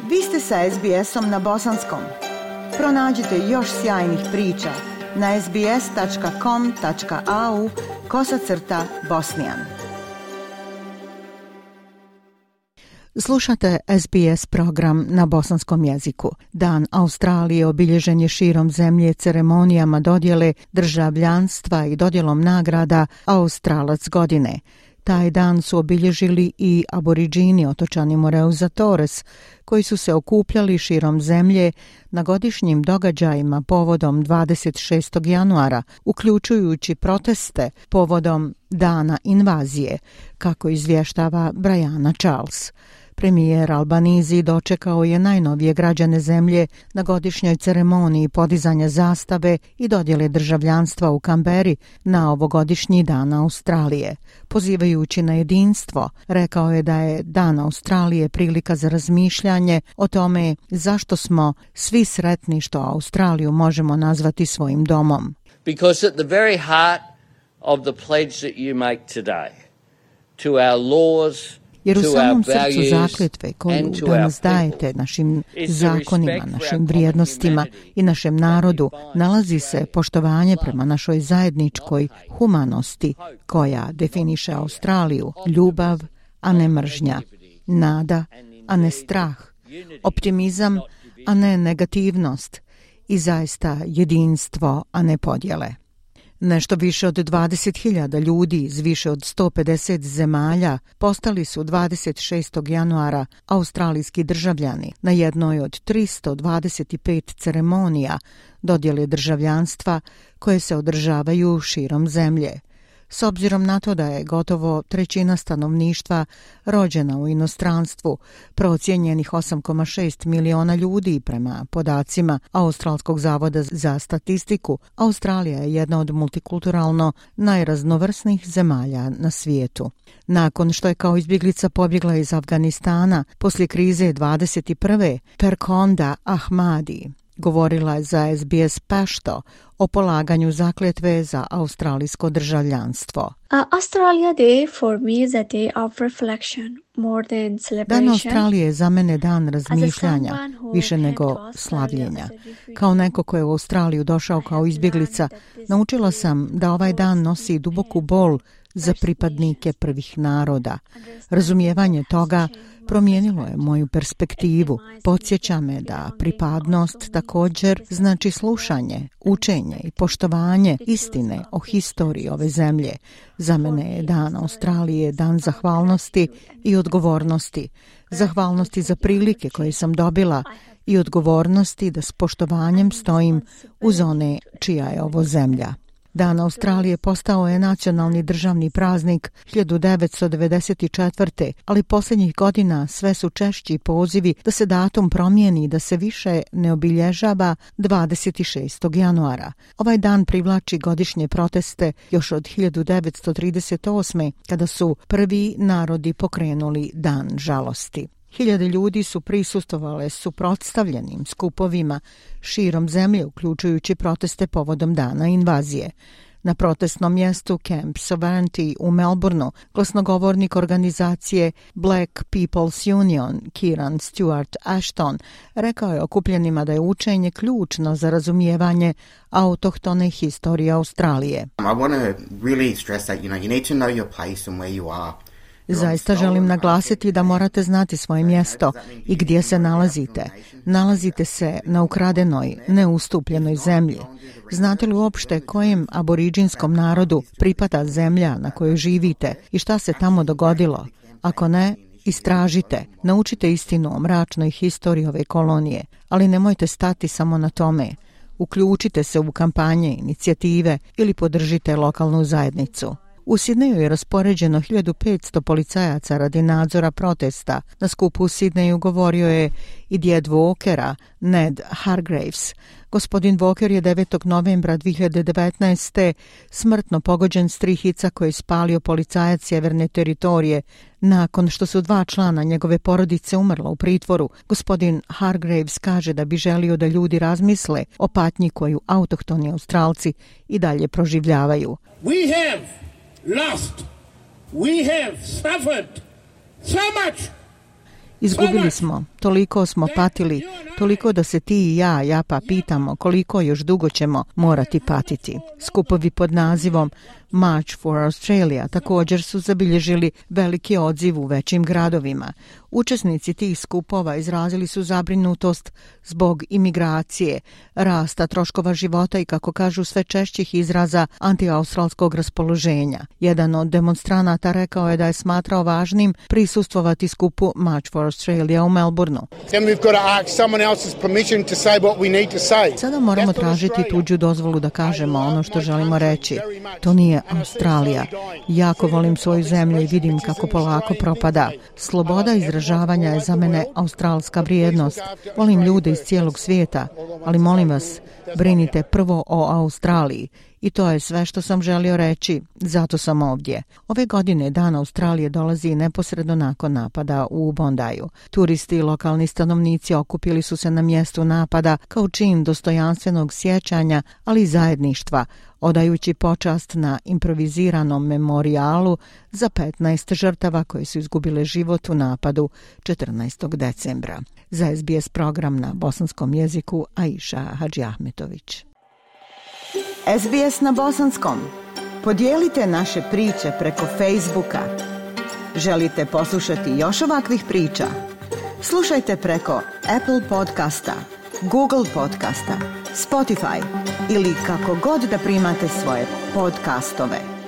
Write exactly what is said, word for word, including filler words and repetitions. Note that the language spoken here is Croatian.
Vi ste sa es be esom na bosanskom. Pronađite još sjajnih priča na es be es tačka com tačka a u kosacrta bosnijan. Slušate es be es program na bosanskom jeziku. Dan Australije obilježen je širom zemlje ceremonijama dodjele državljanstva i dodjelom nagrada Australac godine. Taj dan su obilježili i aboriđini otočani Moreuza Torres, koji su se okupljali širom zemlje na godišnjim događajima povodom dvadeset šestog januara, uključujući proteste povodom dana invazije, kako izvještava Brianna Charles. Premijer Albanizi dočekao je najnovije građane zemlje na godišnjoj ceremoniji podizanja zastave i dodjele državljanstva u Kamberi na ovogodišnji dan Australije. Pozivajući na jedinstvo, rekao je da je Dan Australije prilika za razmišljanje o tome zašto smo svi sretni što Australiju možemo nazvati svojim domom. Because at the very heart of the pledge that you make today to our laws, jer u samom srcu zakletve koju danas dajete našim zakonima, našim vrijednostima i našem narodu nalazi se poštovanje prema našoj zajedničkoj humanosti koja definiše Australiju, ljubav, a ne mržnja, nada, a ne strah, optimizam, a ne negativnost i zaista jedinstvo, a ne podjele. Nešto više od dvadeset hiljada ljudi iz više od sto pedeset zemalja postali su dvadeset šestog januara australijski državljani na jednoj od tristo dvadeset pet ceremonija dodjele državljanstva koje se održavaju širom zemlje. S obzirom na to da je gotovo trećina stanovništva rođena u inostranstvu, procijenjenih osam zarez šest miliona ljudi prema podacima Australskog zavoda za statistiku, Australija je jedna od multikulturalno najraznovrsnijih zemalja na svijetu. Nakon što je kao izbjeglica pobjegla iz Afganistana poslije krize dvadeset prve. Perkonda Ahmadi govorila je za es be es Pashto o polaganju zakletve za australijsko državljanstvo. Uh, Australia Day for me is a day of reflection more than celebration. Dan Australije je za mene dan razmišljanja, više nego slavljenja. Kao neko ko je u Australiju došao kao izbjeglica, naučila sam da ovaj dan nosi duboku bol za pripadnike prvih naroda. Razumijevanje toga promijenilo je moju perspektivu. Podsjeća me da pripadnost također znači slušanje, učenje i poštovanje istine o historiji ove zemlje. Za mene je Dan Australije dan zahvalnosti i odgovornosti. Zahvalnosti za prilike koje sam dobila i odgovornosti da s poštovanjem stojim uz one čija je ovo zemlja. Dan Australije postao je nacionalni državni praznik hiljadu devetsto devedeset četvrte. ali posljednjih godina sve su češći pozivi da se datum promijeni i da se više ne obilježava dvadeset šestog januara. Ovaj dan privlači godišnje proteste još od hiljadu devetsto trideset osme. kada su prvi narodi pokrenuli Dan žalosti. Hiljade ljudi su prisustvovale suprotstavljenim skupovima širom zemlje, uključujući proteste povodom dana invazije. Na protestnom mjestu Camp Sovereignty u Melbourneu glasnogovornik organizacije Black People's Union Kieran Stewart Ashton rekao je okupljenima da je učenje ključno za razumijevanje autohtone historije Australije. I want to really stress that, you know, you need to know your place and where you are. Zaista želim naglasiti da morate znati svoje mjesto i gdje se nalazite. Nalazite se na ukradenoj, neustupljenoj zemlji. Znate li uopšte kojem aboriđinskom narodu pripada zemlja na kojoj živite i šta se tamo dogodilo? Ako ne, istražite, naučite istinu o mračnoj historiji ove kolonije, ali nemojte stati samo na tome. Uključite se u kampanje, inicijative ili podržite lokalnu zajednicu. U Sidneju je raspoređeno hiljadu petsto policajaca radi nadzora protesta. Na skupu u Sidneju govorio je i djed Walkera, Ned Hargraves. Gospodin Walker je devetog novembra dvije hiljade devetnaeste. smrtno pogođen s tri hica koje je spalio policajac sjeverne teritorije nakon što su dva člana njegove porodice umrla u pritvoru. Gospodin Hargraves kaže da bi želio da ljudi razmisle o patnji koju autohtoni Australci i dalje proživljavaju. We have lost. We have suffered so much. Izgubili smo, Toliko smo patili, toliko da se ti i ja, Japa, pitamo koliko još dugo ćemo morati patiti. Skupovi pod nazivom March for Australia također su zabilježili veliki odziv u većim gradovima. Učesnici tih skupova izrazili su zabrinutost zbog imigracije, rasta troškova života i, kako kažu, sve češćih izraza antiaustralskog raspoloženja. Jedan od demonstranata rekao je da je smatrao važnim prisustvovati skupu March for Australia u Melbourneu. Sada moramo tražiti tuđu dozvolu da kažemo ono što želimo reći. To nije Australija. Jako volim svoju zemlju i vidim kako polako propada. Sloboda izražavanja je za mene australska vrijednost. Volim ljude iz cijelog svijeta, ali molim vas, brinite prvo o Australiji. I to je sve što sam želio reći, zato sam ovdje. Ove godine Dan Australije dolazi neposredno nakon napada u Bondaju. Turisti i lokalni stanovnici okupili su se na mjestu napada kao čin dostojanstvenog sjećanja, ali i zajedništva, odajući počast na improviziranom memorijalu za petnaest žrtava koje su izgubile život u napadu četrnaestog decembra. Za S B S program na bosanskom jeziku Aisha Hadžiahmetović. S B S na bosanskom. Podijelite naše priče preko Facebooka. Želite poslušati još ovakvih priča? Slušajte preko Apple podcasta, Google podcasta, Spotify ili kako god da primate svoje podcastove.